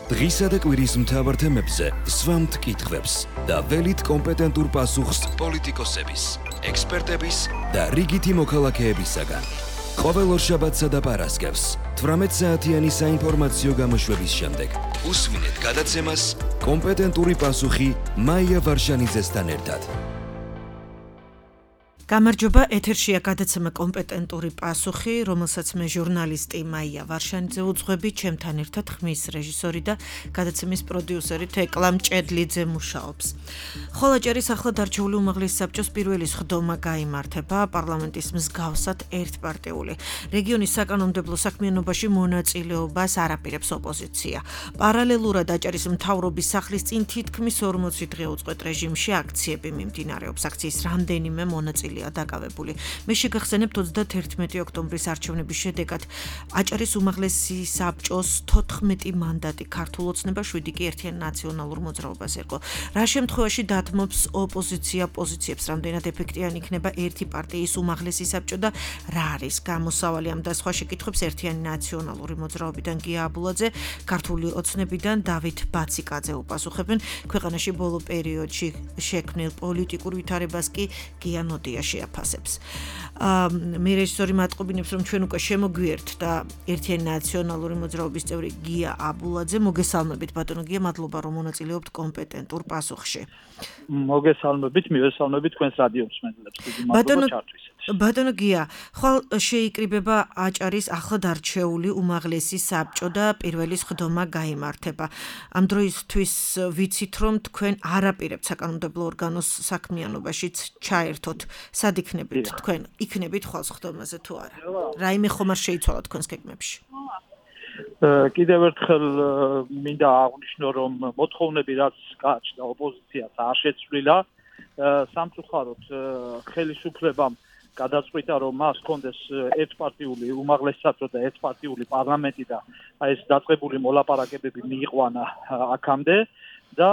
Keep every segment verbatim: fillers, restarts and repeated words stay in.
დღისა და კვირის მთავარ თემებზე სვამთ კითხვებს და ველით კომპეტენტურ პასუხს პოლიტიკოსების, ექსპერტების და რიგითი მოქალაქეებისაგან. ყოველ ორშაბათსა და პარასკევს თვრამეტ საათიანი საინფორმაციო გამოშვების შემდეგ უსმინეთ გადაცემას კომპეტენტური პასუხი მაია ვარშანიძესთან ერთად. გამარჯობა, ეთერშია გადაცემა კომპეტენტური პასუხი, რომელსაც მე ჟურნალისტი მაია ვარშანიძე უძღვები, ჩემთან ერთად ხმის რეჟისორი და გადაცემის პროდიუსერი თეკლა მჭედლიძე მუშაობს. ხოლაჭერის ახლად არჩეული უმაღლესი საბჭოს პირველი სხდომა გაიმართება პარლამენტის მსგავსად ერთპარტიული. რეგიონის საკანონმდებლო საქმიანობაში მონაწილეობას არაპირებს ოპოზიცია. პარალელურად აჭარის მთავრობის სახლის წინ თითქმის ორმოცი დღე უწყვეტ რეჟიმში აქციები მიმდინარეობს. აქციის რამდენიმე მონაწილე დაკავებული. მე შეგახსენებთ ოცდაათერთმეტი ოქტომბრის არჩევნების შედეგად აჭარის უმაღლესი საბჭოს თოთხმეტი მანდატი ქართულ ოცნებას, შვიდი კი ერთიან ნაციონალურ მოძრაობას ერგო. რა შემთხვევაში დათმობს ოპოზიცია პოზიციებს, რამდენად ეფექტიანი იქნება ერთი პარტიის უმაღლესი საბჭო და რა არის გამოსავალი ამ და სხვა შეკითხვებს ერთიანი ნაციონალური მოძრაობიდან გია აბულაძე, ქართული ოცნებიდან დავით ბაციკაძე უპასუხებენ. ქვეყანაში ბოლო პერიოდში შექმნილ პოლიტიკურ ვითარებას კი გია ნოდია შეაფასებს. მე რეჟისორი მატყობინებს, რომ ჩვენ უკვე შემოგვიერთთ და ერთიანი ნაციონალური მოძრაობის წევრი გია აბულაძე, მოგესალმებით ბატონო გია, მადლობა რომ მონაწილეობთ კომპეტენტურ პასუხში. მოგესალმებით, მივესალმებით თქვენს რადიო მსმენელებს. მადლობა ჩართვისათვის. ბატონო გია, ხვალ შეიკრიბება აჭარის ახლად არჩეული უმაღლესი საბჭო და პირველი სხდომა გაიმართება. ამ დროისთვის ვიცით, რომ თქვენ არაპირებთ საკანონმდებლო ორგანოს საქმიანობაშიც ჩაერთოთ. სად იქნებით თქვენ? იქნებით ხვალ სხდომაზე თუ არა? რაიმე ხომ არ შეიცვალა თქვენს გეგმებში? კიდევ ერთხელ მინდა აღვნიშნო, რომ მოთხოვნები რაც გააჩნდა ოპოზიციას არ შეცვლილა. სამწუხაროდ ხელისუფლებამ გადაწყვიტა, რომ მას ჰქონდეს ერთპარტიული უმაღლესი საბჭო და ერთპარტიული პარლამენტი და ეს დაწყებული მოლაპარაკებები მიიყვანა აქამდე და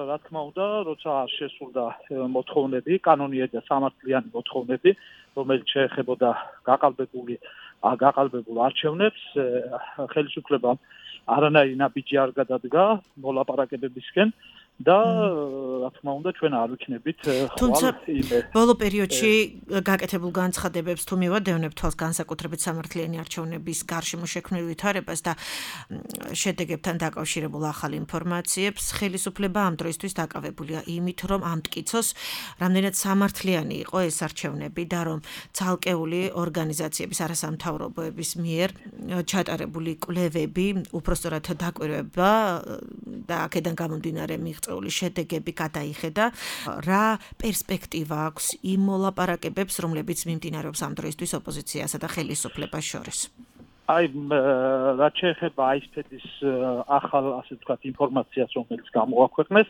რა თქმა უნდა, როცა შესრულდა მოთხოვნები, კანონიერი და სამართლიანი მოთხოვნები, რომელიც შეეხებოდა გაყალბებული გაყალბებულ არჩევნებს, ხელისუფლებამ არანაირი ნაბიჯი არ გადადგა მოლაპარაკებებისკენ და რა თქმა უნდა ჩვენ არ ვიქნებით თუმცა ბოლო პერიოდში გაკეთებულ განცხადებებს თუ მივადევნებთ თვალს განსაკუთრებით სამართლიანი არჩევნების გარშემო შექმნილ ვითარებას და შედეგებთან დაკავშირებულ ახალ ინფორმაციებს, ხელისუფლება ამ დროისთვის დაკავებულია იმით, რომ ამტკიცოს რამდენად სამართლიანი იყო ეს არჩევნები და რომ ცალკეული ორგანიზაციების არასამთავრობოების მიერ ჩატარებული კვლევები უпростоრად დაკვირვება და აქედან გამომდინარე მიღწეული შედეგები გადაიხედა. რა პერსპექტივა აქვს იმ მოლაპარაკებებს, რომლებიც მიმდინარეობს ამ დროისთვის ოპოზიციასა და ხელისუფლებას შორის? აი, რაც შეეხება აისპედის ახალ, ასე ვთქვათ, ინფორმაციას, რომელიც გამოაქვეყნეს,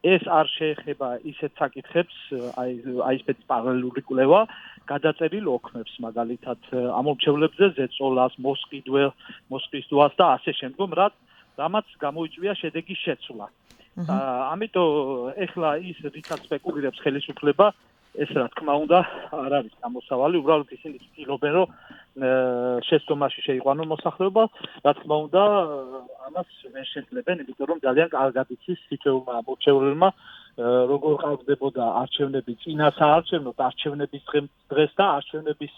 ეს არ შეეხება ისეთ საკითხებს, აი აისპედის პარალელური კვლევა, გადაწერილ ოქმებს, მაგალითად, ამორჩევლებზე ზეწოლას, მოსყიდველ, მოსყიდვას და ასე შემდგომ, რაც რამაც გამოიწვია შედეგის შეცვლა. ამიტომ ეხლა ის რითაც სპეკულირებს ხელისუფლება, ეს რა თქმა უნდა არ არის გამოსავალი, უბრალოდ ისინი ცდილობენ, რომ შეცდომაში შეიყვანონ მოსახლეობა, რა თქმა უნდა ამას ვერ შეძლებენ, იმიტომ რომ ძალიან კარგად იცის თითოეულმა ამორჩეულმა როგორ ყავდებოდა არჩევნები წინა საარჩევნო არჩევნების დღეს და არჩევნების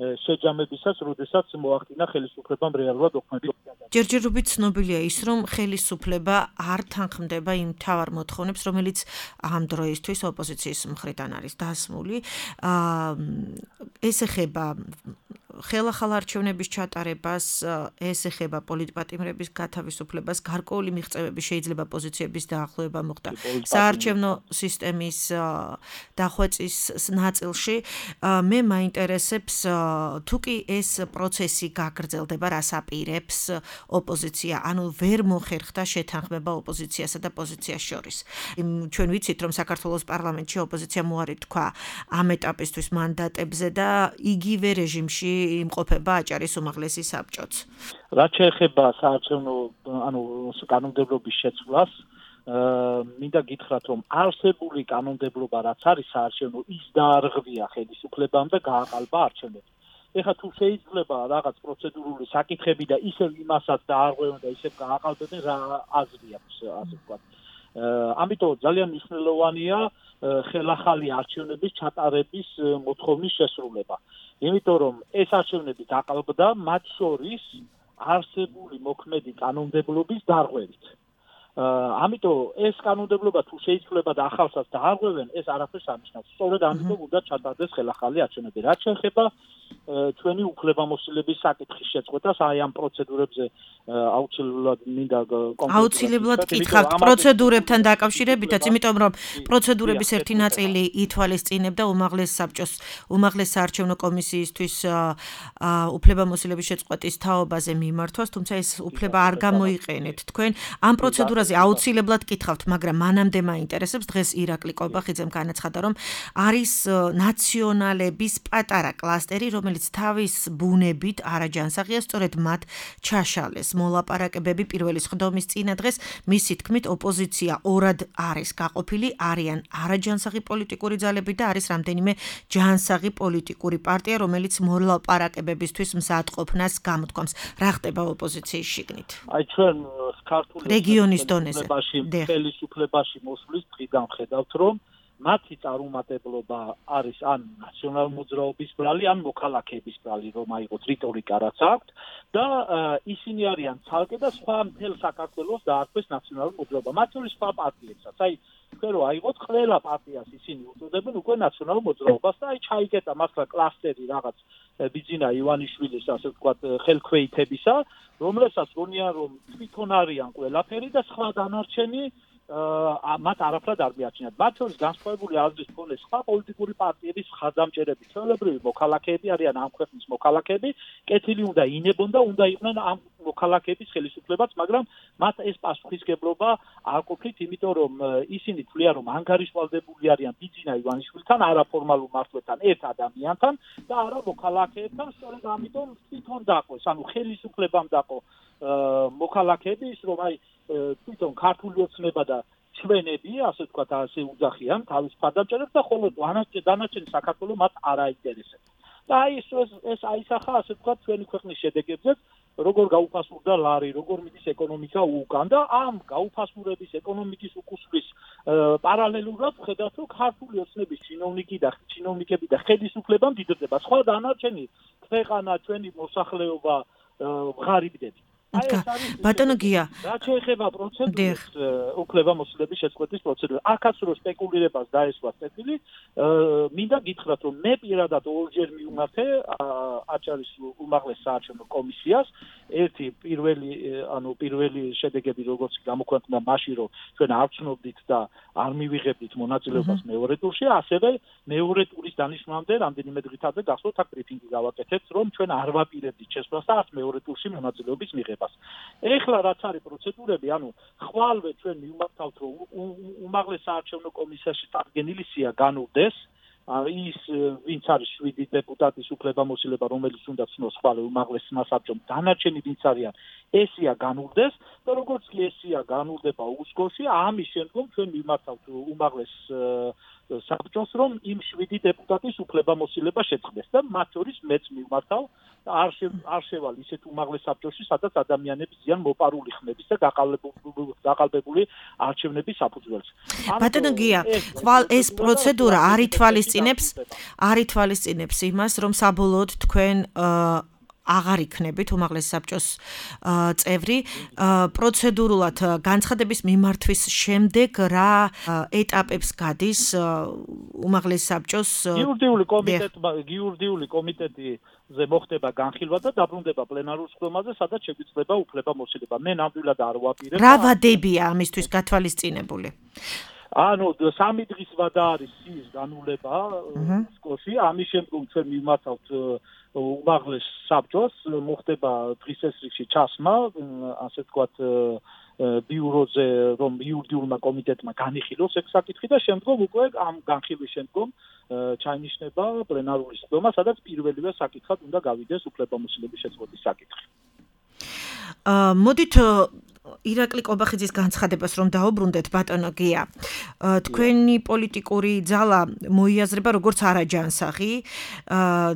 შეჯამებისას, როდესაც მოახდინა ხელისუფლებამ რეალურად ოქმები. ჯერჯერობით ცნობილია ის, რომ ხელისუფლება არ თანხმდება იმ მთავარ მოთხოვნებს, რომელიც ამ დროისთვის ოპოზიციის მხრიდან არის დასმული. ეს ეხება ხელახალ არჩევნების ჩატარებას, ეს ეხება პოლიტპატიმრების გათავისუფლებას, გარკვეული მიღწევები შეიძლება პოზიციების დაახლოება მოხდა საარჩევნო სისტემის დახვეწის ნაწილში. მე მაინტერესებს, თუ კი ეს პროცესი გაგრძელდება, რას აპირებს ოპოზიცია, ანუ ვერ მოხერხდა შეთანხმება ოპოზიციასა და პოზიციას შორის. ჩვენ ვიცით, რომ საქართველოს პარლამენტში ოპოზიცია მოარი თქვა ამ ეტაპისთვის მანდატებზე და იგივე რეჟიმში იმყოფება აჭარის უმაღლესი საბჭოც. რაც შეეხება საარჩევნო, ანუ კანონმდებლობის შეცვლას, მინდა გითხრათ, რომ არსებული კანონმდებლობა რაც არის საარჩევნო, ის დაარღვია ხელისუფლებამ და გააყალბა არჩევნები. ეხლა თუ შეიძლება რაღაც პროცედურული საკითხები და ისევ იმასაც დაარღვევენ და ისევ გააყალბებენ რა აზრი აქვს ასე ვთქვათ. ამიტომ ძალიან მნიშვნელოვანია ხელახალი არჩევნების ჩატარების მოთხოვნის შესრულება. იმიტომ რომ ეს არჩევნები დაყალბდა მათ შორის არსებული მოქმედი კანონმდებლობის დარღვევით. ამიტომ ეს კანონმდებლობა თუ შეიძლება და ახალსაც დაარღვევენ, ეს არაფერს არნიშნავს. სწორედ ამიტომ უნდა ჩატარდეს ხელახალი არჩევნები. რაც შეეხება ჩვენი უფლებამოსილების საკითხის შეწყვეტას, აი ამ პროცედურებზე აუცილებლად მინდა აუცილებლად გითხავთ პროცედურებთან დაკავშირებითაც, იმიტომ რომ პროცედურების ერთი ნაწილი ითვალისწინებდა უმაღლეს საბჭოს, უმაღლეს საარჩევნო კომისიისთვის უფლებამოსილების შეწყვეტის თაობაზე მიმართვას, თუმცა ეს უფლება არ გამოიყენეთ თქვენ. ამ პროცედურაზე აუცილებლად გითხავთ, მაგრამ მანამდე მაინტერესებს დღეს ირაკლი კობახიძემ განაცხადა, რომ არის ნაციონალების პატარა კლასტერი, რომელიც თავის ბუნებით არაჯანსაღია, სწორედ მათ ჩაშალეს მოლაპარაკებები პირველი სხდომის წინა დღეს. მისი თქმით, ოპოზიცია ორად არის გაყოფილი, არიან არაჯანსაღი პოლიტიკური ძალები და არის რამდენიმე ჯანსაღი პოლიტიკური პარტია, რომელიც მოლაპარაკებებისთვის მზადყოფნას გამოთქვამს. რა ხდება ოპოზიციის შიგნით? აი ჩვენ ქართული რეგიონის დონეზე ხელისუფლებაში მოსვლის დღიდან ხედავთ, რომ მათი წარუმატებლობა არის ან ნაციონალ მოძრაობის ბრალი, ან მოქალაქეების ბრალი, რომ აიღოთ რიტორიკა რაც აქვთ და ისინი არიან ცალკე და სხვა მთელ საქართველოს დაარქვეს ნაციონალურ მოძრაობა. მათ შორის სხვა პარტიებსაც. აი თქვენ რომ აიღოთ ყველა პარტიას ისინი უწოდებენ უკვე ნაციონალურ მოძრაობას და აი ჩაიკეტა მართლა კლასტერი რაღაც ბიძინა ივანიშვილის ასე ვთქვათ ხელქვეითებისა, რომელსაც გონიან რომ თვითონ არიან ყველაფერი და სხვა დანარჩენი მათ არაფრად არ მიაჩნიათ. მათ შორის განსხვავებული აზრის მქონე სხვა პოლიტიკური პარტიების ხაზამჭერები, ჩვეულებრივი მოქალაქეები არიან ამ ქვეყნის მოქალაქეები, კეთილი უნდა ინებონ და უნდა იყვნენ ამ მოქალაქეების ხელისუფლებაც, მაგრამ მათ ეს პასუხისგებლობა არ ყოფილით, იმიტომ რომ ისინი თვლიან, რომ ანგარიშვალდებული არიან ბიძინა ივანიშვილთან, არაფორმალურ მართლთან, ერთ ადამიანთან და არა მოქალაქეებთან, სწორედ ამიტომ თვითონ დაყოს, ანუ ხელისუფლებამ დაყო მოქალაქეები ის რომ აი თვითონ ქართული ოცნება და ჩვენები, ასე ვთქვათ, ასე უძახიან თავის ფარდამჭერებს და ხოლო დანარჩენი საქართველო მათ არ აინტერესებს. და აი ეს ეს აისახა, ასე ვთქვათ, ჩვენი ქვეყნის შედეგებზეც, როგორ გაუფასურდა ლარი, როგორ მიდის ეკონომიკა უკან და ამ გაუფასურების ეკონომიკის უკუსვლის პარალელურად ხედავთ, რომ ქართული ოცნების ჩინოვნიკი და ჩინოვნიკები და ხელისუფლება მდიდრდება. სხვა დანარჩენი ქვეყანა, ჩვენი მოსახლეობა ღარიბდები. ბატონო გია, რაც შეეხება პროცედურას, უფლებამოსილების შეწყვეტის პროცედურას, აქაც რო სპეკულირებას დაესვა წესილი, მინდა გითხრათ, რომ მე პირადად ორჯერ მივმართე აჭარის უმაღლეს საარჩევნო კომისიას, ერთი პირველი, ანუ პირველი შედეგები როგორც გამოქვეყნდა მაშინ, რომ ჩვენ არ ცნობდით და არ მივიღებდით მონაწილეობას მეორე ტურში, ასევე მეორე ტურის დანიშნვამდე რამდენიმე დღითაზე გახსოვთ აქ ბრიფინგი გავაკეთეთ, რომ ჩვენ არ ვაპირებდით შესვლას და არც მეორე ტურში მონაწილეობის მიღებას. ეხლა რაც არის პროცედურები, ანუ ხვალვე ჩვენ მივმართავთ, რომ უმაღლეს საარჩევნო კომისიაში წარდგენილი სია განუვდეს, ის ვინც არის შვიდი დეპუტატის უფლებამოსილება, რომელიც უნდა ცნოს ხვალვე უმაღლეს სასაბჭომ, დანარჩენი ვინც არიან, ესია განუვდეს და როგორც კი ესია განუვდება უსკოში, ამის შემდგომ ჩვენ მივმართავთ უმაღლეს საბჭოს, რომ იმ შვიდი დეპუტატის უფლებამოსილება შეწყდეს და მათ შორის მეც მივმართავ და არ არ შევალ ისეთ უმაღლეს საბჭოში, სადაც ადამიანები ზიან მოპარული ხმების და გაყალბებული არჩევნების საფუძველს. ბატონო გია, ხვალ ეს პროცედურა არ ითვალისწინებს, არ ითვალისწინებს იმას, რომ საბოლოოდ თქვენ აღარ იქნებით უმაღლეს საბჭოს წევრი, პროცედურულად განცხადების მიმართვის შემდეგ რა ეტაპებს გადის უმაღლეს საბჭოს იურიდიული კომიტეტმა, იურიდიული კომიტეტზე მოხდება განხილვა და დაბრუნდება პლენარულ სხდომაზე, სადაც შეგვიძლია უფლებამოსილება. მე ნამდვილად არ ვაპირებ. რა ვადებია ამისთვის გათვალისწინებული? ანუ სამი დღის ვადა არის სიის განულება სკოში, ამის შემდგომ ჩვენ მივმართავთ უმაღლეს საბჭოს, მოხდება დღის ეს რიგში ჩასმა, ასე ვთქვათ, ბიუროზე, რომ იურიდიულმა კომიტეტმა განიხილოს ეს საკითხი და შემდგომ უკვე ამ განხილვის შემდგომ ჩაინიშნება პლენარული სხდომა, სადაც პირველივე საკითხად უნდა გავიდეს უფლებამოსილების შეწყვეტის საკითხი. მოდით ირაკლი კობახიძის განცხადებას რომ დაუბრუნდეთ ბატონო გია. თქვენი პოლიტიკური ძალა მოიაზრება როგორც არაჯანსაღი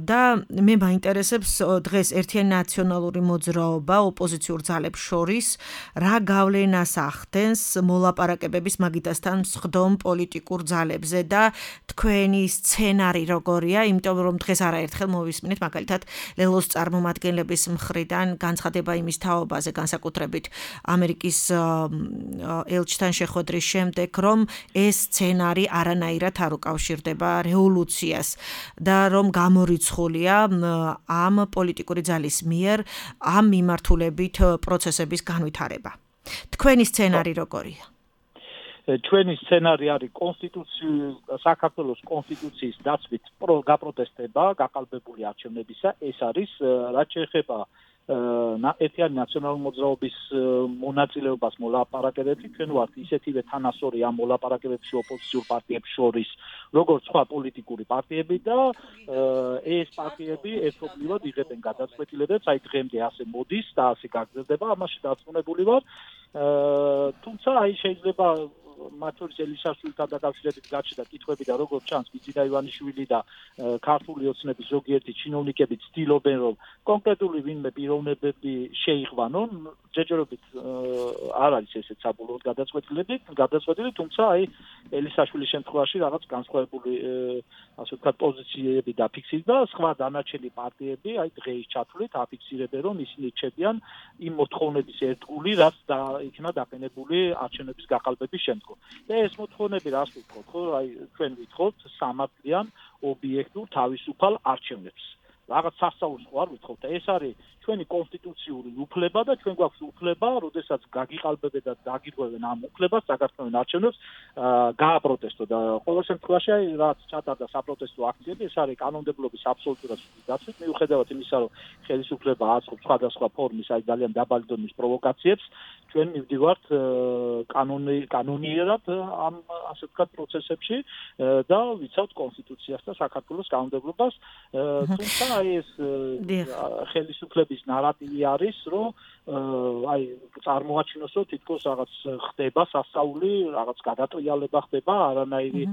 და მე მაინტერესებს დღეს ერთიანი ნაციონალური მოძრაობა ოპოზიციურ ძალებს შორის რა გავლენას ახდენს მოლაპარაკებების მაგიდასთან მსხდომ პოლიტიკურ ძალებზე და თქვენი სცენარი როგორია, იმიტომ რომ დღეს არაერთხელ მოვისმინეთ მაგალითად ლელოს წარმომადგენლების მხრიდან განცხადება იმის თაობაზე, განსაკუთრებით ამერიკის ელჩთან შეხვედრის შემდეგ, რომ ეს სცენარი არანაირად არ უკავშირდება რევოლუციას და რომ გამორიცხულია ამ პოლიტიკური ძალის მიერ ამ მიმართულებით პროცესების განვითარება. თქვენი სცენარი როგორია? ჩვენი სცენარი არის კონსტიტუციის საქართველოს კონსტიტუციის დაცვით გაპროტესტება, გაყალბებული არჩევნებისა. ეს არის რაც შეეხება ერთიანი ნაციონალური მოძრაობის მონაწილეობას მოლაპარაკებებში, ჩვენ ვართ ისეთივე თანასწორი ამ მოლაპარაკებებში ოპოზიციურ პარტიებს შორის, როგორც სხვა პოლიტიკური პარტიები და ეს პარტიები ერთობლივად იღებენ გადაწყვეტილებებს, აი დღემდე ასე მოდის და ასე გაგრძელდება, ამაში დარწმუნებული ვარ. თუმცა აი შეიძლება მათ შორის ელისაშვილთან დაკავშირებით გაჩნდა კითხვები და როგორც ჩანს გიძინა ივანიშვილი და ქართული ოცნების ზოგიერთი ჩინოვნიკები ცდილობენ რომ კონკრეტული ვინმე პიროვნებები შეიღვანონ, ჯერჯერობით არ არის ესეც საბოლოოდ გადაწყვეტილებით, გადაწყვეტილი, თუმცა აი ელისაშვილის შემთხვევაში რაღაც განსხვავებული ასე ვთქვათ პოზიციები დაფიქსირდა, სხვა დანარჩენი პარტიები აი დღეის ჩათვლით აფიქსირებენ რომ ისინი რჩებიან იმ მოთხოვნების ერთგული, რაც იქნა დაყენებული არჩევნების გაყალბების შემდგომ. და ეს მოთხოვნები რას ვთქვათ, ხო, აი ჩვენ ვითხოვთ სამართლიან, ობიექტურ, თავისუფალ არჩევნებს. რაღაც სასწაულს ხო არ ვითხოვთ და ეს არის ჩვენი კონსტიტუციური უფლება და ჩვენ გვაქვს უფლება, როდესაც გაგიყალბებენ და დაგიღვევენ ამ უფლებას საქართველოს არჩევნებს, გააპროტესტო და ყოველ შემთხვევაში აი რაც ჩატარდა საპროტესტო აქციები, ეს არის კანონმდებლობის აბსოლუტურად დაცვით, მიუხედავად იმისა, რომ ხელისუფლება აწყობს სხვადასხვა ფორმის აი ძალიან დაბალი დონის პროვოკაციებს, ჩვენ მივდივართ კანონი კანონიერად ამ ასე ვთქვათ პროცესებში და ვიცავთ კონსტიტუციას და საქართველოს კანონმდებლობას, თუმცა აი ეს ხელისუფლების ნარატივი არის, რომ აი წარმოაჩინოს, რომ თითქოს რაღაც ხდება სასწაული, რაღაც გადატრიალება ხდება, არანაირი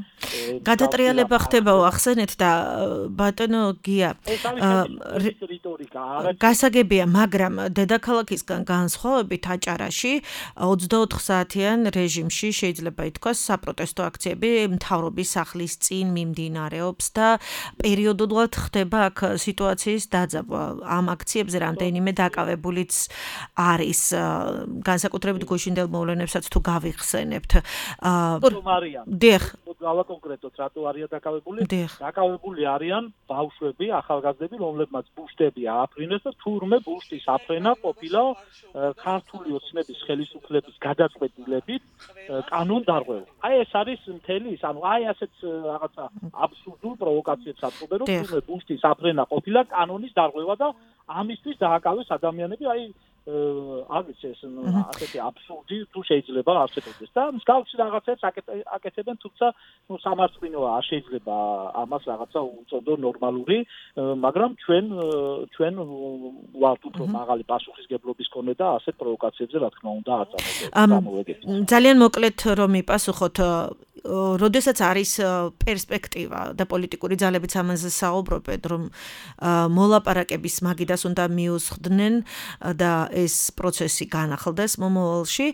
გადატრიალება ხდება, ახსენეთ და ბატონო გია. რიტორიკა გასაგებია, მაგრამ დედაქალაქისგან განსხვავებით აჭარაში ოცდაოთხ საათიან რეჟიმში შეიძლება ითქვას საპროტესტო აქციები მთავრობის სახლის წინ მიმდინარეობს და პერიოდულად ხდება აქ სიტუაციის დაძაბვა. ამ აქციებზე რამდენიმე დაკავებულიც არის განსაკუთრებით გუშინდელ მოვლენებსაც თუ გავიხსენებთ. დიახ. გავა კონკრეტულად რატო არიან დაკავებული? დაკავებული არიან ბავშვები, ახალგაზრდები, რომლებმაც ბუშტები ააფრინეს და თურმე ბუშტის აფრენა ყოფილა ქართული ოცნების ხელისუფლების გადაწყვეტილებით კანონდარღვევა. აი ეს არის მთელი ის, ანუ აი ასეთ რაღაცა აბსურდულ პროვოკაციებს აწყობენ, რომ თურმე ბუშტის აფრენა ყოფილა კანონის დარღვევა და ამისთვის დააკავეს ადამიანები, აი არ ვიცი ეს ასეთი აბსურდი თუ შეიძლება არსებობდეს და მსგავსი რაღაცებს აკეთებენ, თუმცა ნუ სამართლინოა, არ შეიძლება ამას რაღაცა უწოდო ნორმალური, მაგრამ ჩვენ ჩვენ ვართ უფრო მაღალი პასუხისგებლობის კონე და ასეთ პროვოკაციებზე რა თქმა უნდა არ წარმოვიდგენთ. ძალიან მოკლედ რომ მიპასუხოთ, როდესაც არის პერსპექტივა და პოლიტიკური ძალებიც ამაზე საუბრობენ, რომ მოლაპარაკების მაგიდას უნდა მიუსხდნენ და ეს პროცესი განახლდეს მომავალში,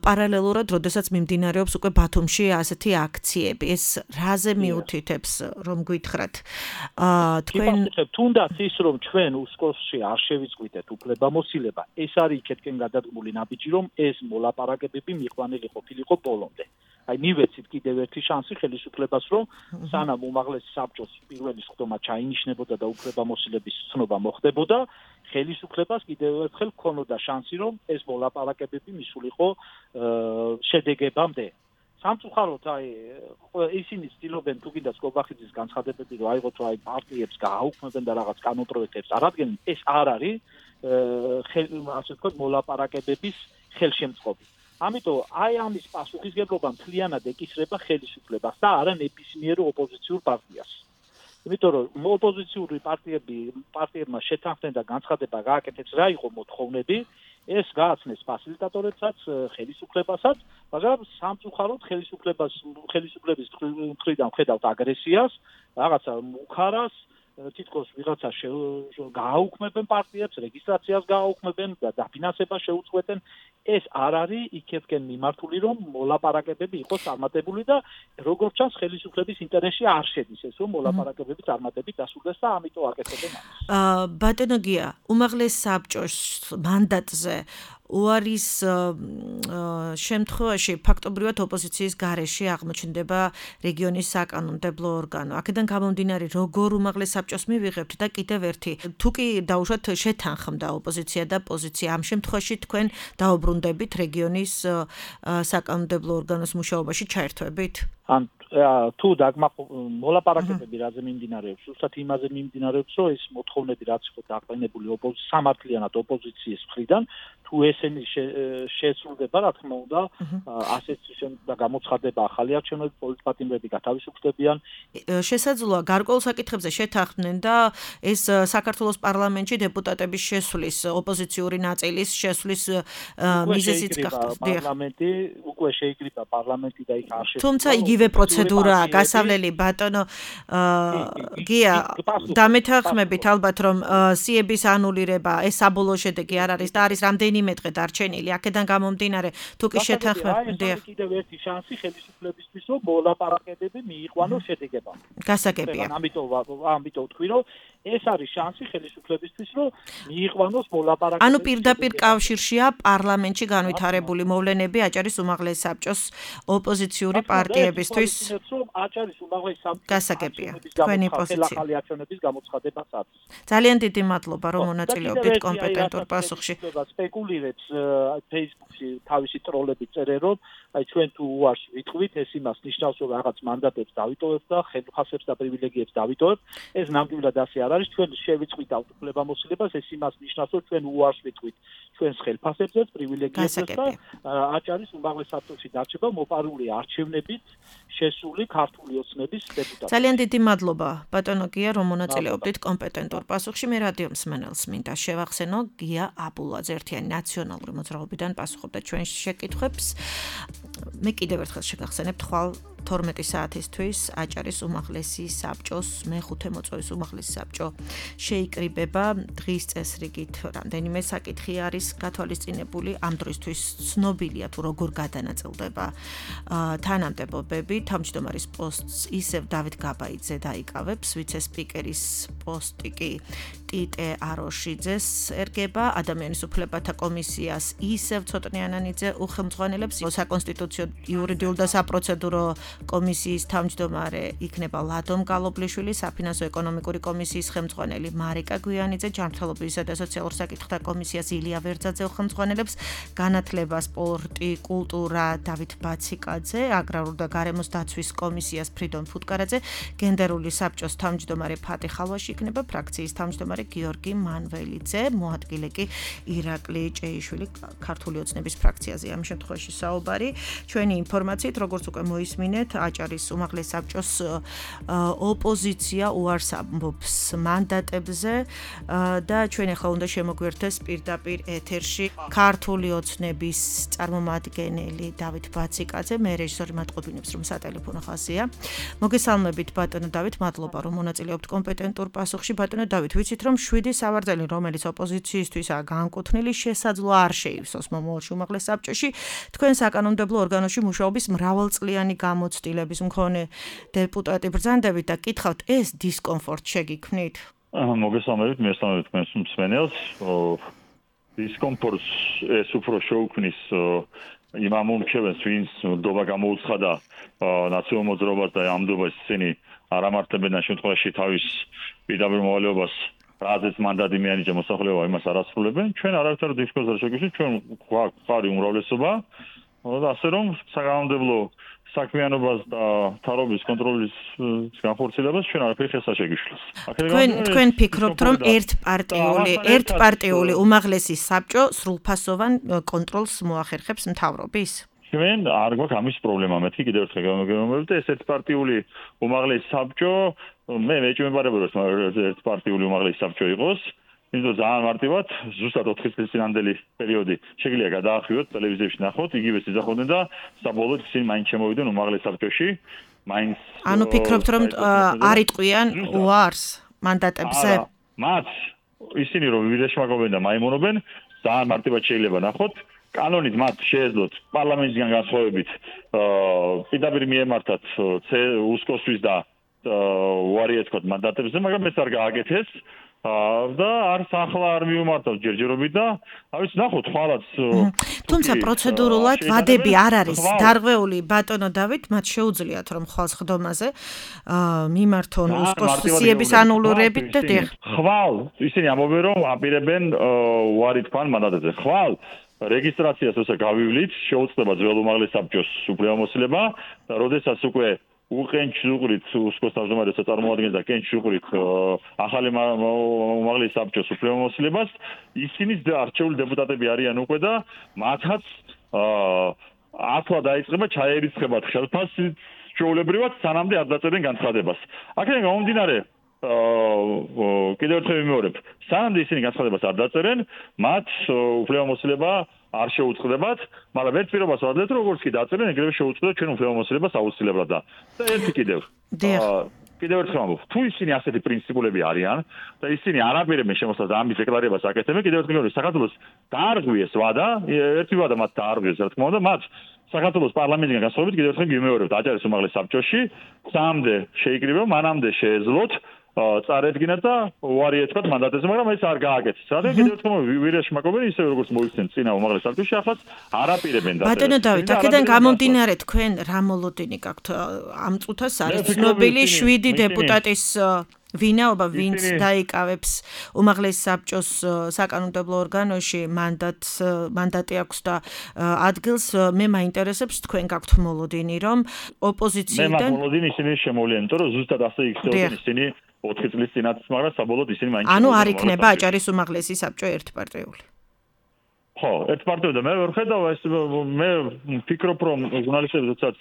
პარალელურად, როდესაც მიმდინარეობს უკვე ბათუმში ასეთი აქციები, ეს რაზე მიუთითებს, რომ გითხრათ? თქვენ თუნდაც ის, რომ ჩვენ უსკოლსში არ შევიწყვიტეთ უფლებამოსილება, ეს არის იქეთკენ გადადგმული ნაბიჯი, რომ ეს მოლაპარაკებები მიყვანილი ყოფილიყო ბოლომდე. აი მივეცით კიდევ ერთი შანსი ხელისუფლებას, რომ სანამ უმაღლესი საბჭოს პირველი სხდომა ჩაინიშნებოდა და უფლებამოსილების ცნობა მოხდებოდა, ხელისუფლებას კიდევ ერთხელ ჰქონოდა შანსი, რომ ეს მოლაპარაკებები მისულიყო შედეგებამდე. სამწუხაროდ აი ისინი ცდილობენ თუ კიდაც კობახიძის განცხადებები რომ აიღოთ აი პარტიებს გააუქმებენ და რაღაც კანონპროექტებს არადგენენ, ეს არ არის ასე ვთქვათ მოლაპარაკებების ხელშემწყობი. ამიტომ აი ამის პასუხისგებლობა მთლიანად ეკისრება ხელისუფლებას და არა ნებისმიერ ოპოზიციურ პარტიას. იმიტომ რომ ოპოზიციური პარტიები პარტიებმა შეთანხმდნენ და განცხადება გააკეთეს რა იყო მოთხოვნები ეს გააცნეს ფასილიტატორებსაც, ხელისუფლებასაც, მაგრამ სამწუხაროდ ხელისუფლებას ხელისუფლების მხრიდან ხედავთ აგრესიას, რაღაცა უხარას, თითქოს ვიღაცა გააუქმებენ პარტიებს, რეგისტრაციას გააუქმებენ და დაფინანსებას შეუწყვეტენ. ეს არ არის იქეთკენ მიმართული, რომ მოლაპარაკებები იყოს წარმატებული და როგორც ჩანს ხელისუფლების ინტერესში არ შედის ეს, რომ მოლაპარაკებები წარმატებით დასრულდეს და ამიტომ აკეთებენ ამას. აა ბატონო გია, უმაღლეს საბჭოს მანდატზე უარის შემთხვევაში ფაქტობრივად ოპოზიციის გარეშე აღმოჩნდება რეგიონის საკანონმდებლო ორგანო. აქედან გამომდინარე, როგორ უმაღლეს საბჭოს მივიღებთ და კიდევ ერთი, თუ კი დაუშვათ შეთანხმდა ოპოზიცია და პოზიცია, ამ შემთხვევაში თქვენ დაუბრუნდებით რეგიონის საკანონმდებლო ორგანოს მუშაობაში ჩაერთვებით? ან თუ მოლაპარაკებები რაზე მიმდინარეობს, ზუსტად იმაზე მიმდინარეობს, რომ ეს მოთხოვნები რაც იყო დაყენებული ოპოზიციის სამართლიანად ოპოზიციის მხრიდან, თუ ესენი შესრულდება, რა თქმა უნდა, ასეთ და გამოცხადება ახალი არჩევნები, პოლიტპატიმრები გათავისუფლებიან. შესაძლოა გარკვეულ საკითხებზე შეთანხმდნენ და ეს საქართველოს პარლამენტში დეპუტატების შესვლის, ოპოზიციური ნაწილის შესვლის მიზეზიც გახდა. პარლამენტი უკვე შეიკრიბა პარლამენტი და იქ არ შეცვალა. თუმცა იგივე პროცედურაა გასავლელი ბატონო გია დამეთანხმებით ალბათ რომ სიების ანულირება ეს საბოლოო შედეგი არ არის და არის რამდენიმე დღე დარჩენილი აქედან გამომდინარე თუ კი შეთანხმებია კიდევ ერთი შანსი ხელისუფლებისთვის რომ მოლაპარაკებები მიიყვანოს შედეგებად გასაგებია ამიტომ ამიტომ თქვი რომ ეს არის შანსი ხელისუფლებისთვის რომ მიიყვანოს მოლაპარაკებები ანუ პირდაპირ კავშირშია პარლამენტში განვითარებული მოვლენები აჭარის უმაღლეს საბჭოს ოპოზიციური პარტიებისთვის აჭარის უმაღლეს საბჭოს გასაგებია თქვენი პოზიცია ახალი არჩევნების გამოცხადებასაც ძალიან დიდი მადლობა რომ მონაწილეობდით კომპეტენტურ პასუხში სპეკულირებს Facebook-ში თავისი ტროლები წერენ რომ აი ჩვენ თუ უარს ვიტყვით ეს იმას ნიშნავს რომ რაღაც მანდატებს დავიტოვებთ და ხელფასებს და პრივილეგიებს დავიტოვებთ ეს ნამდვილად ასე არ არის ჩვენ შევიწყვით უფლებამოსილებას ეს იმას ნიშნავს რომ ჩვენ უარს ვიტყვით ჩვენს ხელფასებზე პრივილეგიებზე და აჭარის უმაღლეს საბჭოში დარჩება მოპარული არჩევნებით შესული ქართული ოცნების დეპუტატი. ძალიან დიდი მადლობა ბატონო გია რომ მონაწილეობდით კომპეტენტურ პასუხში მე რადიო მსმენელს მინდა შევახსენო გია აბულაძე ერთიანი ნაციონალური მოძრაობიდან პასუხობდა ჩვენს შეკითხვებს მე კიდევ ერთხელ შეგახსენებთ ხვალ თორმეტი საათისთვის აჭარის უმაღლესი საბჭოს მეხუთე მოწვევის უმაღლესი საბჭო შეიკრიბება დღის წესრიგით რამდენიმე საკითხი არის გათვალისწინებული ამ დროისთვის ცნობილია თუ როგორ გადანაწილდება თანამდებობები თავმჯდომარის პოსტს ისევ დავით გაბაიძე დაიკავებს ვიცე-სპიკერის პოსტი კი ტიტე აროშიძეს ერგება ადამიანის უფლებათა კომისიას ისევ ცოტნე ანანიძე უხელმძღვანელებს საკონსტიტუციო იურიდიულ და საპროცედურო კომისიის თავმჯდომარე იქნება ლადომ გალობლიშვილი, საფინანსო ეკონომიკური კომისიის ხელმძღვანელი მარიკა გვიანიძე, ჯანმრთელობისა და სოციალურ საკითხთა კომისიას ილია ვერძაძე ხელმძღვანელებს, განათლება, სპორტი, კულტურა დავით ბაციკაძე, აგრარულ და გარემოს დაცვის კომისიას ფრიდონ ფუტკარაძე, გენდერული საბჭოს თავმჯდომარე ფატი ხალვაში იქნება, ფრაქციის თავმჯდომარე გიორგი მანველიძე, მოადგილე კი ირაკლი ჭეიშვილი, ქართული ოცნების ფრაქციაზე ამ შემთხვევაში საუბარი. ჩვენი ინფორმაციით, როგორც უკვე მოისმინეთ აჭარის უმაღლეს საბჭოს ოპოზიცია უარს ამბობს მანდატებზე და ჩვენ ახლა უნდა შემოგვერთდეს პირდაპირ ეთერში ქართული ოცნების წარმომადგენელი დავით ბაციკაძე მე რეჟისორი მატყობინებს რომ სატელეფონო ხაზია მოგესალმებით ბატონო დავით მადლობა რომ მონაწილეობთ კომპეტენტურ პასუხში ბატონო დავით ვიცით რომ შვიდი სავარძელი რომელიც ოპოზიციისთვისაა განკუთვნილი შესაძლოა არ შეივსოს მომავალში უმაღლეს საბჭოში თქვენ საკანონმდებლო ორგანოში მუშაობის მრავალწლიანი გამოცდილების მქონე დეპუტატი ბრძანდებით და კითხავთ ეს დისკომფორტ შეგიქმნით? მოგესალმებით, მესალმებით თქვენს მსმენელს. დისკომფორტს ეს უფრო შეუქმნის იმ ამომრჩევენს, ვინც ნდობა გამოუცხადა ნაციონალურ მოძრაობას და ამ ნდობას ისინი არ ამართებენ და შემთხვევაში თავის პირდაპირ მოვალეობას რაზეც მანდატი მიანიჭა მოსახლეობა იმას არ ასრულებენ. ჩვენ არავითარ დისკომფორტს არ შეგვიძლია, ჩვენ გვაქვს უმრავლესობა და ასე რომ საკანონმდებლო საქმიანობას და თავრობის კონტროლის განხორციელებას ჩვენ არაფერი ხეს არ შეგვიშლოს. თქვენ თქვენ ფიქრობთ რომ ერთპარტიული ერთპარტიული უმაღლესი საბჭო სრულფასოვან კონტროლს მოახერხებს მთავრობის? ჩვენ არ გვაქვს ამის პრობლემა. მეთქი კიდევ ერთხელ გამოგემოვნებთ ეს ერთპარტიული უმაღლესი საბჭო, მე მეჭმებარებოდი რომ ერთპარტიული უმაღლესი საბჭო იყოს. იმიტომ ძალიან მარტივად ზუსტად ოთხი წლის წინანდელი პერიოდი შეგვიძლია გადაახევოთ ტელევიზიაში ნახოთ, იგივე სიზახოდნენ და საბოლოოდ ისინი მაინც შემოვიდნენ უმაღლეს საბჭოში. მაინც ანუ ფიქრობთ რომ არ იტყვიან უარს მანდატებზე? მათ ისინი რომ ვირეშმაკობენ და მაიმონობენ, ძალიან მარტივად შეიძლება ნახოთ. კანონით მათ შეეძლოთ პარლამენტისგან განსხვავებით პირდაპირ მიემართათ უსკოსთვის და უარი ეთქვათ მანდატებზე, მაგრამ ეს არ გააკეთეს. და არც ახლა არ მიუმართავს ჯერჯერობით და ავიც ნახოთ ხვალაც თუმცა პროცედურულად ვადები არ არის დარღვეული ბატონო დავით მათ შეუძლიათ რომ ხვალ ხდომაზე მიმართონ უსკოსიების ანულურებით და დიახ ხვალ ისინი ამბობენ რომ აპირებენ უარი თქვან მანდატებზე ხვალ რეგისტრაციას როცა გავივლით შეუძლება ძველ უმაღლეს საბჭოს უფლებამოსილება და როდესაც უკვე უყენჩ უყრით უსკოს თავმჯდომარესაც წარმოადგენს და კენჩ უყრით ახალი უმაღლეს საბჭოს უფლებამოსილებას ისინი არჩეული დეპუტატები არიან უკვე და მათაც ახლა დაიწყება ჩაერიცხება ხელფასით ჩვეულებრივად სანამდე არ დაწერენ განცხადებას. აქედან გამომდინარე კიდევ ერთხელ ვიმეორებ, სანამდე ისინი განცხადებას არ დაწერენ, მათ უფლებამოსილება არ შეუწყდებათ, მაგრამ ერთ პირობას ვადლებთ, როგორც კი დაწერენ, ეგრევე შეუწყდებათ ჩვენ უფლებამოსილებას აუცილებლად და ერთი კიდევ. კიდევ ერთხელ ვამბობ, თუ ისინი ასეთი პრინციპულები არიან და ისინი არ აპირებენ შემოსვლას და ამის დეკლარირებას აკეთებენ, კიდევ ერთხელ ვიმეორებ, საქართველოს დაარღვიეს ვადა, ერთი ვადა მათ დაარღვიეს, რა თქმა უნდა, მათ საქართველოს პარლამენტიდან განსხვავებით კიდევ ერთხელ ვიმეორებთ, აჭარის უმაღლეს საბჭოში, სამდე შეიკრიბა, მანამდე შეეძლოთ წარედგინათ და უარი ეთქვათ მანდატებზე, მაგრამ ეს არ გააკეთეს. რადგან კიდევ ერთხელ ვირეშმაკობენ ისე როგორც მოიხსენ წინა უმაღლეს საბჭოში, ახლა არ აპირებენ და ბატონო დავით, აქედან გამომდინარე თქვენ რა მოლოდინი გაქვთ ამ წუთას არის ცნობილი შვიდი დეპუტატის ვინაობა, ვინც დაიკავებს უმაღლეს საბჭოს საკანონმდებლო ორგანოში მანდატს, მანდატი აქვს და ადგილს მე მაინტერესებს თქვენ გაქვთ მოლოდინი, რომ ოპოზიციიდან მე მოლოდინი ისინი შემოვლიან, იმიტომ რომ ზუსტად ასე იქცეოდნენ ისინი ოთხი წლის წინათ, მაგრამ საბოლოოდ ისინი მაინც ანუ არ იქნება აჭარის უმაღლესი საბჭო ერთპარტიული. ხო, ერთპარტიული და მე ვერ ხედავ ეს მე ვფიქრობ რომ ჟურნალისტები როდესაც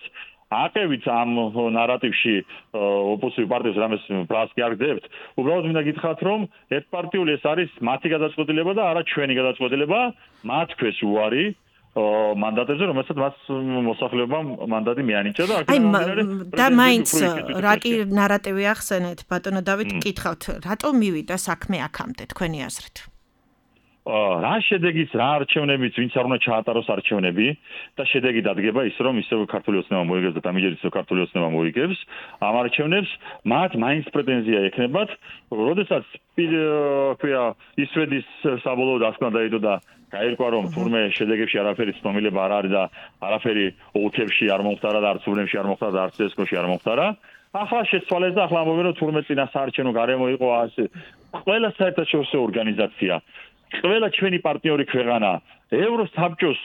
აკევით ამ ნარატივში ოპოზიციური პარტიებს რამეს ბრალს კი არ გდებთ, უბრალოდ მინდა გითხრათ რომ ერთპარტიული ეს არის მათი გადაწყვეტილება და არა ჩვენი გადაწყვეტილება, მათ ქვეს უარი მანდატებზე, რომელსაც მას მოსახლეობამ მანდატი მიანიჭა და აი და მაინც რა კი ნარატივი ახსენეთ, ბატონო დავით, გკითხავთ, რატომ მივიდა საქმე აქამდე თქვენი აზრით? რა შედეგიც, რა არჩევნებიც, ვინც არ უნდა ჩაატაროს არჩევნები და შედეგი დადგება ის, რომ ისევ ქართული ოცნება მოიგებს და დამიჯერით ისევ ქართული ოცნება მოიგებს ამ არჩევნებს, მათ მაინც პრეტენზია ექნებათ, როდესაც ქვია ისვედის საბოლოო დასკვნა დაიდო და გაირკვა რომ თურმე შედეგებში არაფერი ცნობილება არ არის და არაფერი ოლქებში არ მომხდარა და არც უბნებში არ მომხდარა და არც ესკოში არ მომხდარა. ახლა შეცვალეს და ახლა ამბობენ რომ თურმე წინა საარჩევნო გარემო იყო ასე. ყველა საერთაშორისო ორგანიზაცია ყველა ჩვენი პარტნიორი ქვეყანა ევროსაბჭოს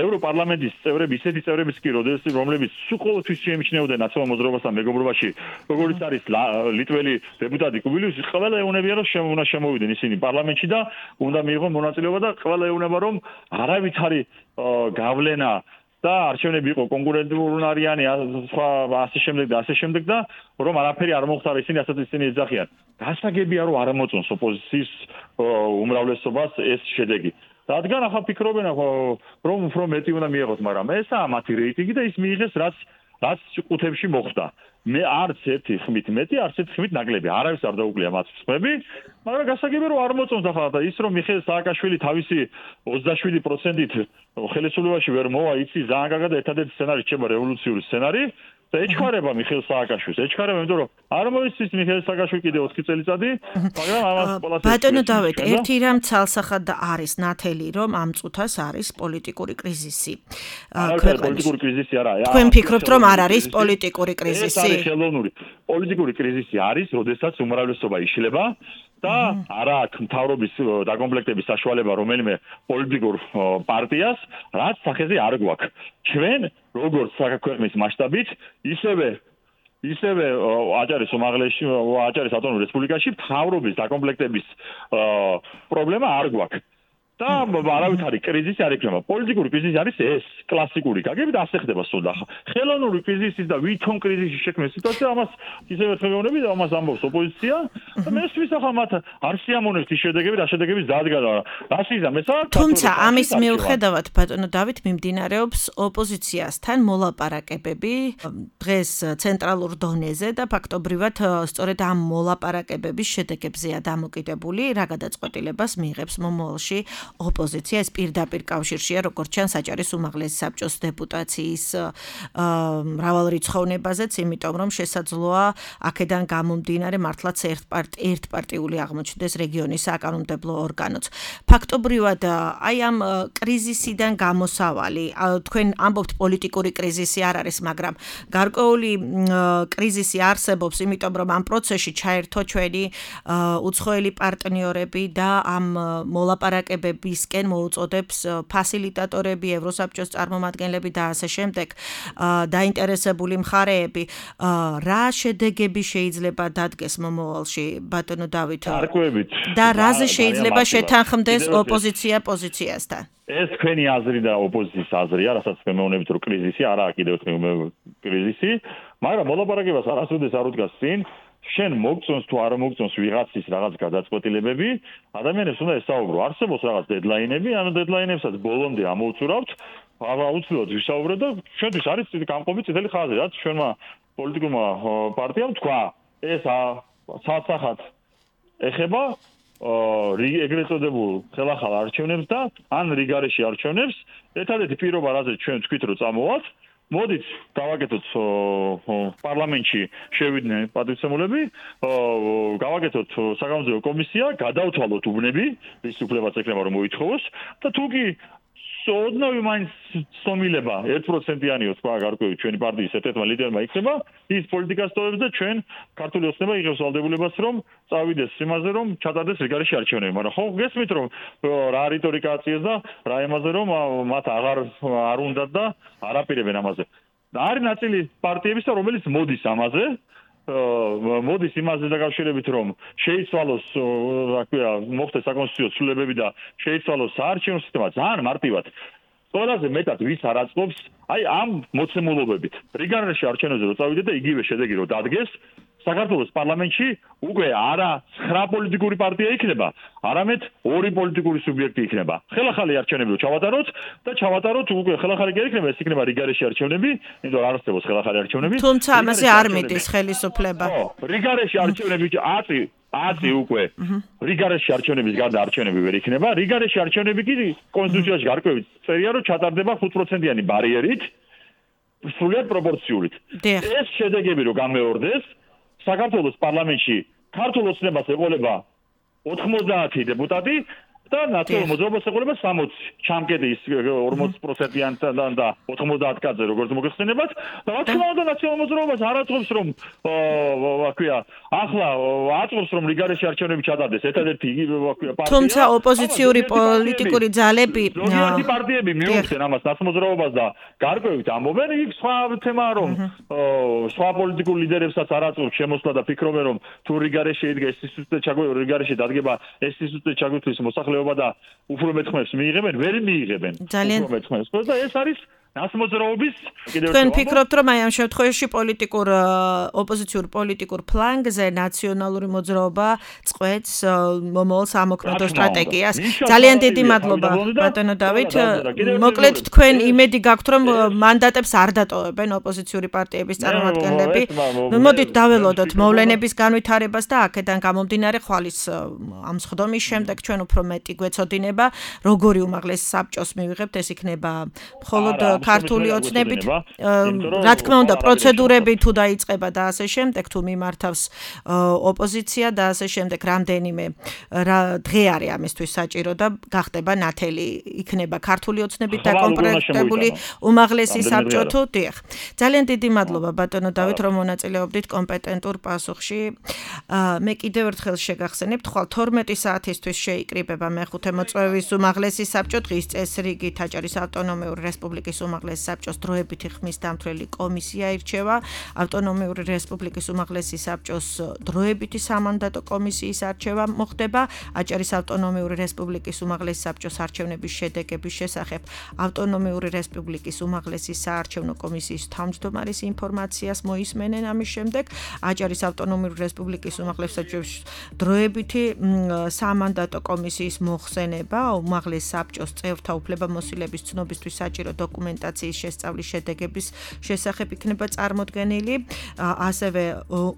ევროპარლამენტის წევრები ისეთი წევრებიც კი რომლებიც სულ შეიმჩნეოდნენ ნაციონალურ მოძრაობასთან მეგობრობაში როგორც არის ლიტველი დეპუტატი კუბილიუსი ყველა ეუბნებიან რომ უნდა შემოვიდნენ ისინი პარლამენტში და უნდა მიიღონ მონაწილეობა და ყველა ეუბნება რომ არავითარი გავლენა და არჩევნები იყო კონკურენტული არიანი სხვა ასე შემდეგ და ასე შემდეგ და რომ არაფერი არ მოხდა ისინი ასაც ისინი ეძახიან. გასაგებია რომ არ მოწონს ოპოზიციის უმრავლესობას ეს შედეგი. რადგან ახლა ფიქრობენ რომ უფრო მეტი უნდა მიიღოს, მაგრამ ესაა მათი რეიტინგი და ის მიიღეს რაც რაც ყუთებში მოხდა. მე არც ერთი ხმით მეტი, არც ერთი ხმით ნაკლები. არავის არ დაუკლია მათ ხმები, მაგრამ გასაგებია რომ არ მოწონს ახლა და ის რომ მიხეილ სააკაშვილი თავისი ოცდაშვიდი პროცენტით ხელისუფლებაში ვერ მოვა, იცი ძალიან კარგად ერთადერთი სცენარი რჩება რევოლუციური სცენარი. და ეჩქარება მიხეილ სააკაშვილს, ეჩქარება, იმიტომ რომ არ მოიცის მიხეილ სააკაშვილი კიდე ოთხი წელიწადი, მაგრამ ამას ყველას ბატონო დავით, ერთი რამ ცალსახად არის ნათელი, რომ ამ წუთას არის პოლიტიკური კრიზისი. პოლიტიკური კრიზისი არა. თქვენ ფიქრობთ, რომ არ არის პოლიტიკური კრიზისი? ეს არის ხელოვნური. პოლიტიკური კრიზისი არის, როდესაც უმრავლესობა იშლება და არა აქვს მთავრობის დაკომპლექტების საშუალება რომელიმე პოლიტიკურ პარტიას, რაც სახეზე არ გვაქვს. ჩვენ როგორც ქვეყნის მასშტაბით, ისევე ისევე აჭარის უმაღლესში, აჭარის ავტონომურ რესპუბლიკაში მთავრობის დაკომპლექტების პრობლემა არ გვაქვს. და არავით არის კრიზისი არ იქნება. პოლიტიკური კრიზისი არის ეს კლასიკური გაგები და ასე ხდება სულ. ხელოვნური კრიზისი და ვითომ კრიზისი შექმნის სიტუაცია ამას ისევე ხელოვნები და ამას ამბობს ოპოზიცია და მე ვისახა მათ არ შეამონებს ის შედეგები და შედეგების დადგა და რასიზმ ესა. თუმცა ამის მიუხედავად ბატონო დავით მიმდინარეობს ოპოზიციასთან მოლაპარაკებები დღეს ცენტრალურ დონეზე და ფაქტობრივად სწორედ ამ მოლაპარაკებების შედეგებზეა დამოკიდებული რა გადაწყვეტილებას მიიღებს მომავალში ოპოზიცია. ეს პირდაპირ კავშირშია როგორც ჩანს საჭარის უმაღლესი საბჭოს დეპუტაციის მრავალრიცხოვნებაზეც, იმიტომ რომ შესაძლოა აქედან გამომდინარე მართლაც ერთპარტიული აღმოჩნდეს რეგიონის საკანონმდებლო ორგანოც. ფაქტობრივად აი ამ კრიზისიდან გამოსავალი, თქვენ ამბობთ პოლიტიკური კრიზისი არ არის, მაგრამ გარკვეული კრიზისი არსებობს, იმიტომ რომ ამ პროცესში ჩაერთო ჩვენი უცხოელი პარტნიორები და ამ მოლაპარაკებებისკენ მოუწოდებს ფასილიტატორები, ევროსაბჭოს წარმომადგენლები და ასე შემდეგ დაინტერესებული მხარეები. რა შედეგები შეიძლება დადგეს მომავალში ბატონო დავით? და რაზე შეიძლება შეთანხმდეს ოპოზიცია პოზიციასთან? ეს თქვენი აზრი და ოპოზიციის აზრია, რასაც მემეუნებით რომ კრიზისი არაა კიდევ ერთხელ კრიზისი, მაგრამ მოლაპარაკებას არასოდეს არ უდგას წინ. შენ მოგწონს თუ არ მოგწონს ვიღაცის რაღაც გადაწყვეტილებები, ადამიანებს უნდა ესაუბრო. არსებობს რაღაც დედლაინები, ანუ დედლაინებსაც ბოლომდე ამოუწურავთ, აუცილებლად ვისაუბროთ და ჩვენთვის არის გამყოფი წითელი ხაზი, რაც ჩვენმა პოლიტიკურმა პარტიამ თქვა. ეს სასახად ეხება ეგრეთ წოდებულ ხელახალ არჩევნებს და ან რიგარეში არჩევნებს. ერთადერთი პირობა, რაზეც ჩვენ ვთქვით, რომ წამოვათ, მოდით გავაკეთოთ პარლამენტში შევიდნენ პატივცემულები, გავაკეთოთ საკანონმდებლო კომისია, გადავთვალოთ უბნები, რის უფლებაც ექნება რომ მოითხოვოს და თუ კი ოდნავი მაინც სომილება ერთ პროცენტიანიო სხვა გარკვეული ჩვენი პარტიის ერთ-ერთმა ლიდერმა იქნება, ის პოლიტიკას ტოვებს და ჩვენ ქართული ოცნება იღებს ვალდებულებას რომ წავიდეს იმაზე რომ ჩატარდეს რიგარეში არჩევნები, მაგრამ ხო გესმით რომ რა რიტორიკა აწიეს და რა იმაზე რომ მათ აღარ არ უნდათ და არაპირებენ ამაზე. არის ნაწილი პარტიებისა რომელიც მოდის ამაზე მოდის იმაზე დაკავშირებით რომ შეიცვალოს რა ქვია მოხდეს საკონსტიტუციო ცვლილებები და შეიცვალოს საარჩევნო სისტემა ძალიან მარტივად ყველაზე მეტად ვის არ აწყობს აი ამ მოცემულობებით რიგარეში არჩევნებზე რო წავიდეთ და იგივე შედეგი რო დადგეს საქართველოს პარლამენტში უკვე არა ცხრა პოლიტიკური პარტია იქნება არამედ ორი პოლიტიკური სუბიექტი იქნება ხელახალი არჩევნები რო ჩავატაროთ და ჩავატაროთ უკვე ხელახალი კი არ იქნება ეს იქნება რიგარეში არჩევნები იმიტომ რომ არ არსებობს ხელახალი არჩევნები თუმცა ამაზე არ მიდის ხელისუფლება ხო რიგარეში არჩევნები აწი აწი უკვე რიგარეში არჩევნების გარდა არჩევნები ვერ იქნება რიგარეში არჩევნები კი კონსტიტუციაში გარკვევით წერია რომ ჩატარდება ხუთ პროცენტიანი ბარიერით სრულად პროპორციულით ეს შედეგები რო გამეორდეს საქართველოს პარლამენტში ქართულ ოცნებას ეყოლება ოთხმოცდაათი დეპუტატი და ნაციონალურ მოძრაობას ეყოლება სამოცი ჩამკედის ორმოცი პროცენტიანთან და ოთხმოცდაათ კაცზე როგორც მოგეხსენებათ და რა თქმა უნდა ნაციონალურ მოძრაობას არ აწყობს რომ რა ქვია ახლა აწყობს რომ რიგარეში არჩევნები ჩატარდეს ერთადერთი რა ქვია თუმცა ოპოზიციური პოლიტიკური ძალები ზოგიერთი პარტიები მიუხდნენ ამას ნაცმოძრაობას და გარკვევით ამბობენ იქ სხვა თემაა რომ სხვა პოლიტიკურ ლიდერებსაც არ აწყობს შემოსვლა და ფიქრობენ რომ თუ რიგარეში იდგა ეს ინსტიტუტი ჩაგვეო რიგარეში დადგება ეს ინსტიტუტი ჩაგვეთის მოსახლეობა და უფრო მეთხმებს მიიღებენ ვერ მიიღებენ უფრო მეთხმებს და ეს არის ნაცმოძრაობის კიდევ თქვენ ფიქრობთ რომ აი ამ შემთხვევაში პოლიტიკურ ოპოზიციურ პოლიტიკურ ფლანგზე ნაციონალური მოძრაობა წყვეტს მომავალ სამოქმედო სტრატეგიას ძალიან დიდი მადლობა ბატონო დავით მოკლედ თქვენ იმედი გაქვთ რომ მანდატებს არ დატოვებენ ოპოზიციური პარტიების წარმომადგენლები მოდით დაველოდოთ მოვლენების განვითარებას და აქედან გამომდინარე ხვალის ამ სხდომის შემდეგ ჩვენ უფრო მეტი გვეცოდინება როგორი უმაღლესი საბჭოს მივიღებთ ეს იქნება მხოლოდ ქართული ოცნებით რა თქმა უნდა პროცედურები თუ დაიწყება და ასე შემდეგ თუ მიმართავს ოპოზიცია და ასე შემდეგ რამდენიმე დღე არის ამისთვის საჭირო და გახდება ნათელი იქნება ქართული ოცნებით დაკომპლექტებული უმაღლესი საბჭო თუ დიახ ძალიან დიდი მადლობა ბატონო დავით რომ მონაწილეობდით კომპეტენტურ პასუხში მე კიდევ ერთხელ შეგახსენებთ ხვალ თორმეტი საათისთვის შეიკრიბება მეხუთე მოწვევის უმაღლესი საბჭო დღის წესრიგით აჭარის ავტონომიური რესპუბლიკის უმაღლესი საბჭოს დროებითი ხმის დამცველი კომისია ირჩევა, ავტონომიური რესპუბლიკის უმაღლესი საბჭოს დროებითი სამანდატო კომისიის არჩევა მოხდება, აჭარის ავტონომიური რესპუბლიკის უმაღლესი საბჭოს არჩევნების შედეგების შესახებ ავტონომიური რესპუბლიკის უმაღლესი საარჩევნო კომისიის თავმჯდომარის ინფორმაციას მოისმენენ ამის შემდეგ, აჭარის ავტონომიური რესპუბლიკის უმაღლესი საბჭოს დროებითი სამანდატო კომისიის მოხსენება, უმაღლეს საბჭოს წევრთა უფლებამოსილების ცნობისთვის საჭირო დოკუმენტაციის შესწავლის შედეგების შესახებ იქნება წარმოდგენილი, ასევე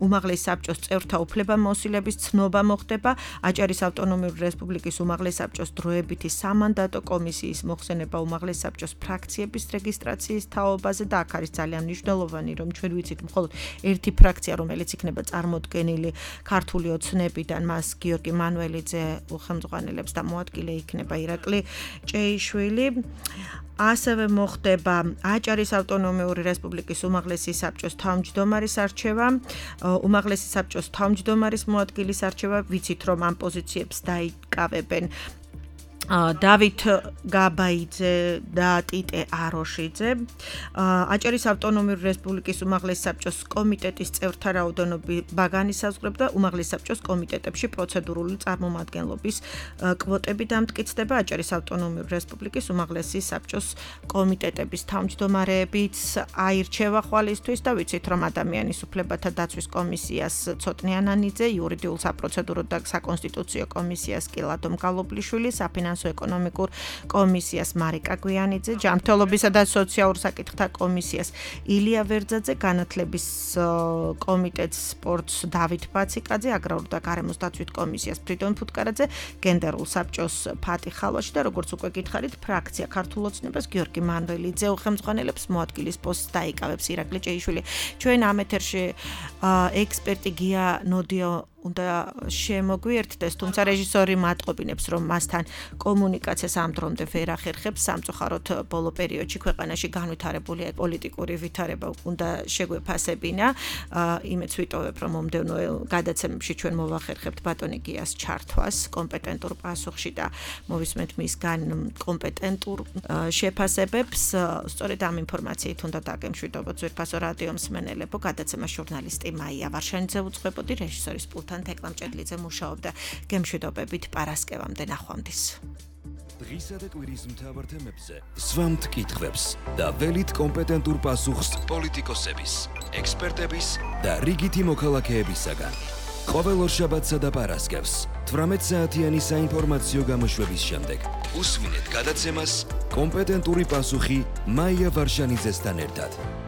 უმაღლეს საბჭოს წევრთა უფლებამოსილების ცნობა მოხდება, აჭარის ავტონომიური რესპუბლიკის უმაღლეს საბჭოს დროებითი სამანდატო კომისიის მოხსენება უმაღლეს საბჭოს ფრაქციების რეგისტრაციის თაობაზე და აქ არის ძალიან მნიშვნელოვანი, რომ ჩვენ ვიცით მხოლოდ ერთი ფრაქცია, რომელიც იქნება წარმოდგენილი ქართული ოცნებიდან, მას გიორგი მანუელიძე ხელმძღვანელებს და მოადგილე იქნება ირაკლი ჭეიშვილი. ასევე მოხდება აჭარის ავტონომიური რესპუბლიკის უმაღლესი საბჭოს თავმჯდომარის არჩევა, უმაღლესი საბჭოს თავმჯდომარის მოადგილის არჩევა, ვიცით რომ ამ პოზიციებს დაიკავებენ დავით გაბაიძე და ტიტე აროშიძე. აჭარის ავტონომიური რესპუბლიკის უმაღლესი საბჭოს კომიტეტის წევრთა რაოდენობა განისაზღვრება და უმაღლეს საბჭოს კომიტეტებში პროცედურული წარმომადგენლობის კვოტები დამტკიცდება. აჭარის ავტონომიური რესპუბლიკის უმაღლესი საბჭოს კომიტეტების თავმჯდომარეებიც აირჩევა ხვალისთვის და ვიცით რომ ადამიანის უფლებათა დაცვის კომისიას ცოტნე ანანიძე, იურიდიულ საპროცედურო და საკონსტიტუციო კომისიას კი ლადო მგალობლიშვილი, საფინანსო ეკონომიკურ კომისიას მარიკა გვიანიძე, ჯანმრთელობისა და სოციალურ საკითხთა კომისიას ილია ვერძაძე, განათლების კომიტეტს სპორტს დავით ბაციკაძე, აგრარულ და გარემოს დაცვით კომისიას ფრიდონ ფუტკარაძე, გენდერულ საბჭოს ფატი ხალვაში და როგორც უკვე გითხარით, ფრაქცია ქართულ ოცნებას გიორგი მანუელიძე ხელმძღვანელებს მოადგილის პოსტს დაიკავებს ირაკლი ჭეიშვილი. ჩვენ ამ ეთერში ექსპერტი გია ნოდიო უნდა შემოგვიერთდეს, თუმცა რეჟისორი მატყობინებს, რომ მასთან კომუნიკაციას ამ დრომდე ვერ ახერხებს, სამწუხაროდ ბოლო პერიოდში ქვეყანაში განვითარებული პოლიტიკური ვითარება უნდა შეგვეფასებინა. იმედს ვიტოვებ, რომ მომდევნო გადაცემებში ჩვენ მოვახერხებთ ბატონი გიას ჩართვას კომპეტენტურ პასუხში და მოვისმენთ მისგან კომპეტენტურ შეფასებებს. სწორედ ამ ინფორმაციით უნდა დაგემშვიდობოთ ძვირფასო რადიო მსმენელებო, გადაცემა ჟურნალისტი მაია ვარშანიძე უძღვებოდი, რეჟისორის პულტთან თეკლა მჭედლიძე მუშაობდა. გემშვიდობებით პარასკევამდე ნახვამდის. დღისა და კვირის მთავარ თემებზე სვამთ კითხვებს და ველით კომპეტენტურ პასუხს პოლიტიკოსების, ექსპერტების და რიგითი მოქალაქეებისაგან. ყოველ ორშაბათსა და პარასკევს თვრამეტ საათიანი საინფორმაციო გამოშვების შემდეგ უსმინეთ გადაცემას კომპეტენტური პასუხი მაია ვარშანიძესთან ერთად.